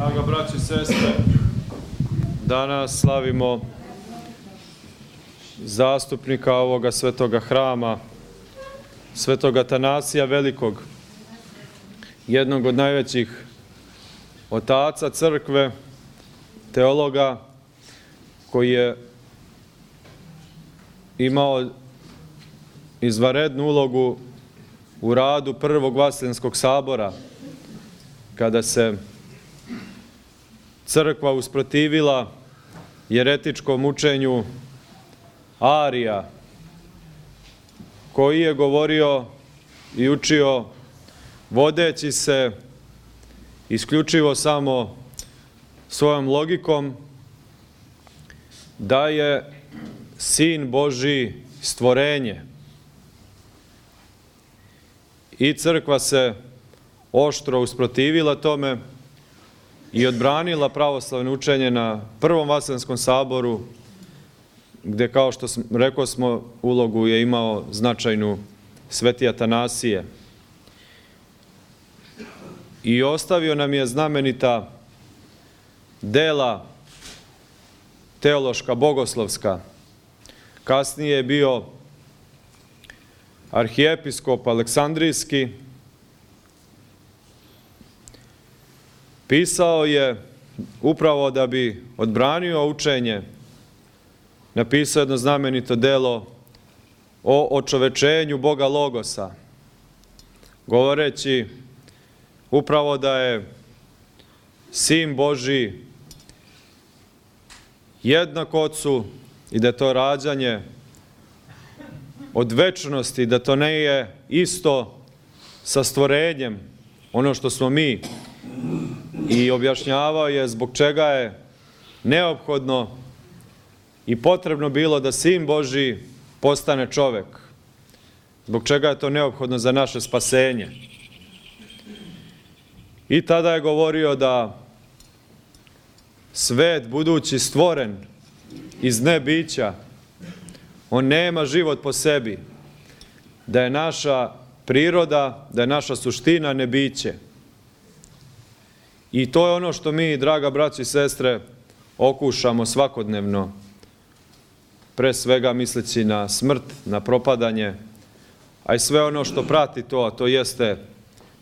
Draga braći i sestre, danas slavimo zastupnika ovoga svetoga hrama, svetog Atanasija Velikog, jednog od najvećih otaca crkve, teologa, koji je imao izvanrednu ulogu u radu Prvog Vaseljenskog sabora, kada se crkva usprotivila jeretičkom učenju Arija, koji je govorio i učio vodeći se isključivo samo svojom logikom da je Sin Božji stvorenje. I crkva se oštro usprotivila tome i odbranila pravoslavno učenje na Prvom Vaseljenskom saboru, gde, kao što rekao smo, ulogu je imao značajnu sveti Atanasije. I ostavio nam je znamenita dela teološka, bogoslovska. Kasnije je bio arhijepiskop Aleksandrijski. Pisao je upravo da bi odbranio učenje, napisao jedno znamenito delo o očovečenju Boga Logosa, govoreći upravo da je Sin Božji jednak Otcu i da je to rađanje od večnosti, da to ne je isto sa stvorenjem, ono što smo mi, i objašnjavao je zbog čega je neophodno i potrebno bilo da Sin Božji postane čovek, zbog čega je to neophodno za naše spasenje. I tada je govorio da svet budući stvoren iz nebića, on nema život po sebi, da je naša priroda, da je naša suština nebiće. I to je ono što mi, draga braći i sestre, okušamo svakodnevno, pre svega misleći na smrt, na propadanje, a i sve ono što prati to, a to jeste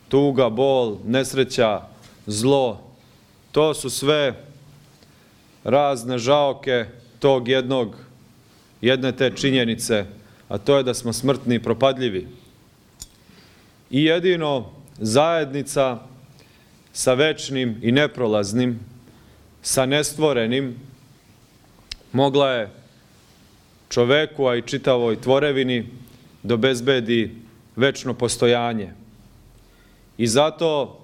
tuga, bol, nesreća, zlo. To su sve razne žaoke tog jedne te činjenice, a to je da smo smrtni i propadljivi. I jedino zajednica sa večnim i neprolaznim, sa nestvorenim, mogla je čoveku, a i čitavoj tvorevini, da obezbedi večno postojanje. I zato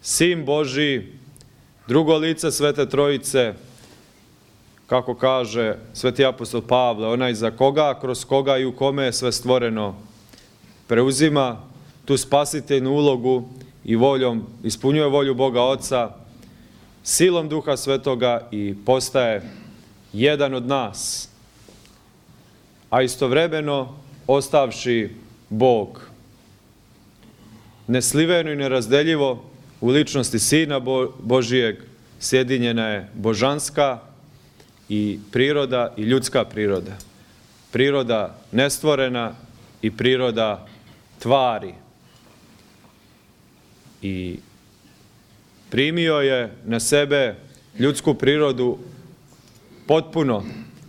Sin Božji, drugo lice Svete Trojice, kako kaže sveti apostol Pavle, onaj za koga, kroz koga i u kome je sve stvoreno, preuzima tu spasiteljnu ulogu i voljom, ispunjuje volju Boga Oca, silom Duha Svetoga i postaje jedan od nas, a istovremeno ostavši Bog. Nesliveno i nerazdeljivo u ličnosti Sina Božijeg sjedinjena je božanska i priroda i ljudska priroda. Priroda nestvorena i priroda tvari. I primio je na sebe ljudsku prirodu potpuno,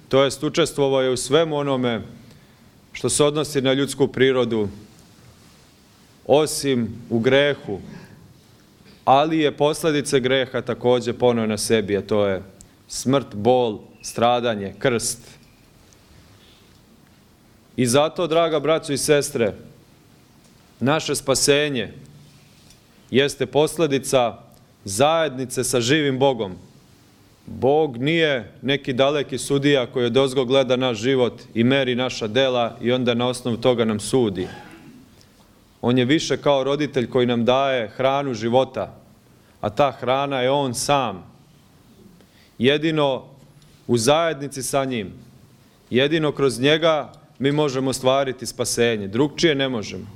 to jest učestvovao je u svemu onome što se odnosi na ljudsku prirodu, osim u grehu, ali je posljedice greha također poneo na sebi, a to je smrt, bol, stradanje, krst. I zato, draga braćo i sestre, naše spasenje jeste posljedica zajednice sa živim Bogom. Bog nije neki daleki sudija koji odozgo gleda naš život i meri naša dela i onda na osnovu toga nam sudi. On je više kao roditelj koji nam daje hranu života, a ta hrana je On sam. Jedino u zajednici sa njim, jedino kroz njega mi možemo ostvariti spasenje. Drugčije ne možemo.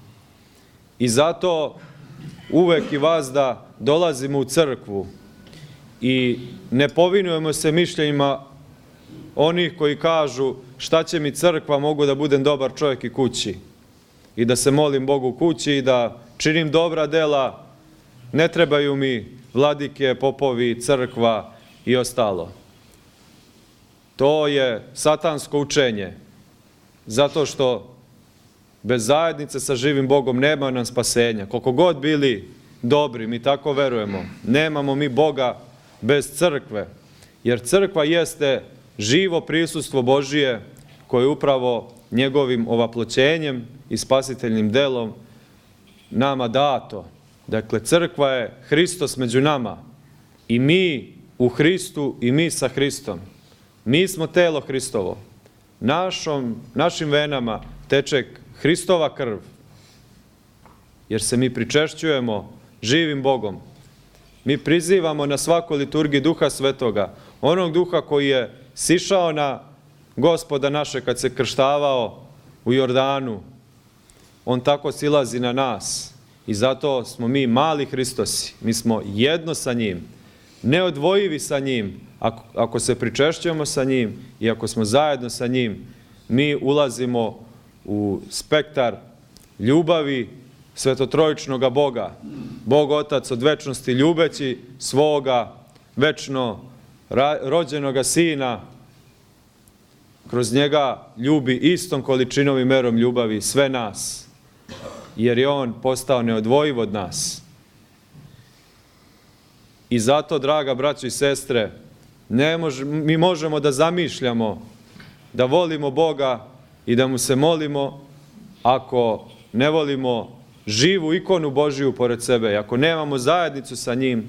I zato uvek i vazda dolazimo u crkvu i ne povinujemo se mišljenjima onih koji kažu šta će mi crkva, mogu da budem dobar čovjek i kući i da se molim Bogu kući i da činim dobra dela, ne trebaju mi vladike, popovi, crkva i ostalo. To je satansko učenje, zato što bez zajednice sa živim Bogom nema nam spasenja. Koliko god bili dobri, mi tako verujemo, nemamo mi Boga bez crkve, jer crkva jeste živo prisustvo Božije koje upravo njegovim ovaploćenjem i spasiteljnim delom nama dato. Dakle, crkva je Hristos među nama i mi u Hristu i mi sa Hristom. Mi smo telo Hristovo. Našim venama teče Hristova krv, jer se mi pričešćujemo živim Bogom. Mi prizivamo na svakoj liturgiji Duha Svetoga, onog Duha koji je sišao na Gospoda naše kad se krštavao u Jordanu. On tako silazi na nas i zato smo mi mali Hristosi. Mi smo jedno sa njim, neodvojivi sa njim. Ako se pričešćujemo sa njim i ako smo zajedno sa njim, mi ulazimo u spektar ljubavi svetotrojičnoga Boga. Bog Otac od večnosti ljubeći svoga večno rođenoga Sina, kroz njega ljubi istom količinom i merom ljubavi sve nas, jer je on postao neodvojiv od nas. I zato, draga braćo i sestre, mi možemo da zamišljamo, da volimo Boga i da mu se molimo, ako ne volimo živu ikonu Božiju pored sebe, ako nemamo zajednicu sa njim,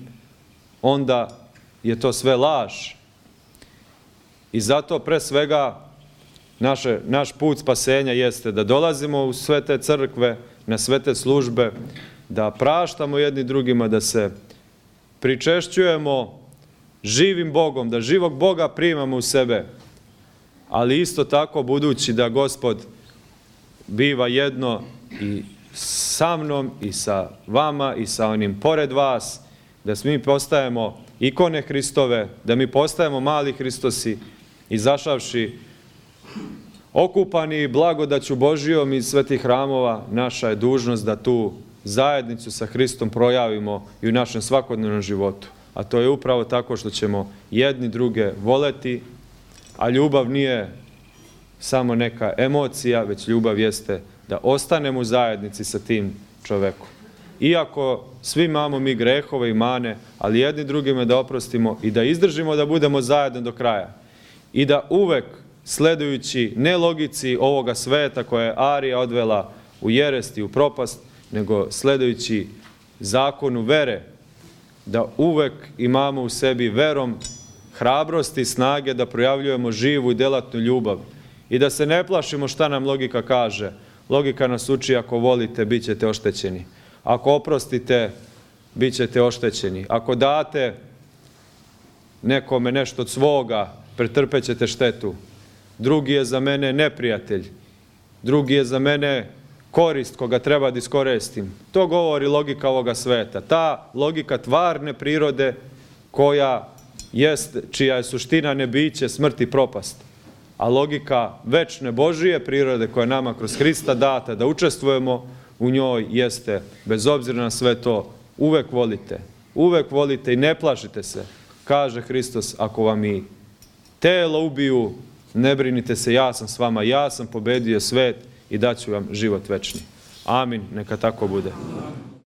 onda je to sve laž. I zato pre svega naš put spasenja jeste da dolazimo u sve te crkve, na sve te službe, da praštamo jedni drugima, da se pričešćujemo živim Bogom, da živog Boga primamo u sebe, ali isto tako budući da Gospod biva jedno i sa mnom i sa vama i sa onim pored vas, da mi postajemo ikone Hristove, da mi postajemo mali Hristosi, izašavši okupani blagodaću Božijom iz svetih hramova, naša je dužnost da tu zajednicu sa Hristom projavimo i u našem svakodnevnom životu. A to je upravo tako što ćemo jedni druge voleti, a ljubav nije samo neka emocija, već ljubav jeste da ostanemo u zajednici sa tim čovekom. Iako svi imamo mi grehove i mane, ali jedni drugima da oprostimo i da izdržimo da budemo zajedno do kraja. I da uvek, sledujući ne logici ovoga sveta koja je Arija odvela u jerest i u propast, nego sledujući zakonu vere, da uvek imamo u sebi verom hrabrosti i snage da projavljujemo živu i delatnu ljubav i da se ne plašimo šta nam logika kaže. Logika nas uči: ako volite, bit ćete oštećeni. Ako oprostite, bit ćete oštećeni. Ako date nekome nešto od svoga, pretrpet ćete štetu. Drugi je za mene neprijatelj. Drugi je za mene korist koga treba da iskoristim. To govori logika ovoga sveta. Ta logika tvarne prirode čija je suština nebiće, smrt i propast. A logika večne Božije prirode koja je nama kroz Hrista data da učestvujemo u njoj jeste, bez obzira na sve to, uvek volite. Uvek volite i ne plašite se. Kaže Hristos: ako vam i telo ubiju, ne brinite se, ja sam s vama, ja sam pobedio svet i daću vam život večni. Amin, neka tako bude.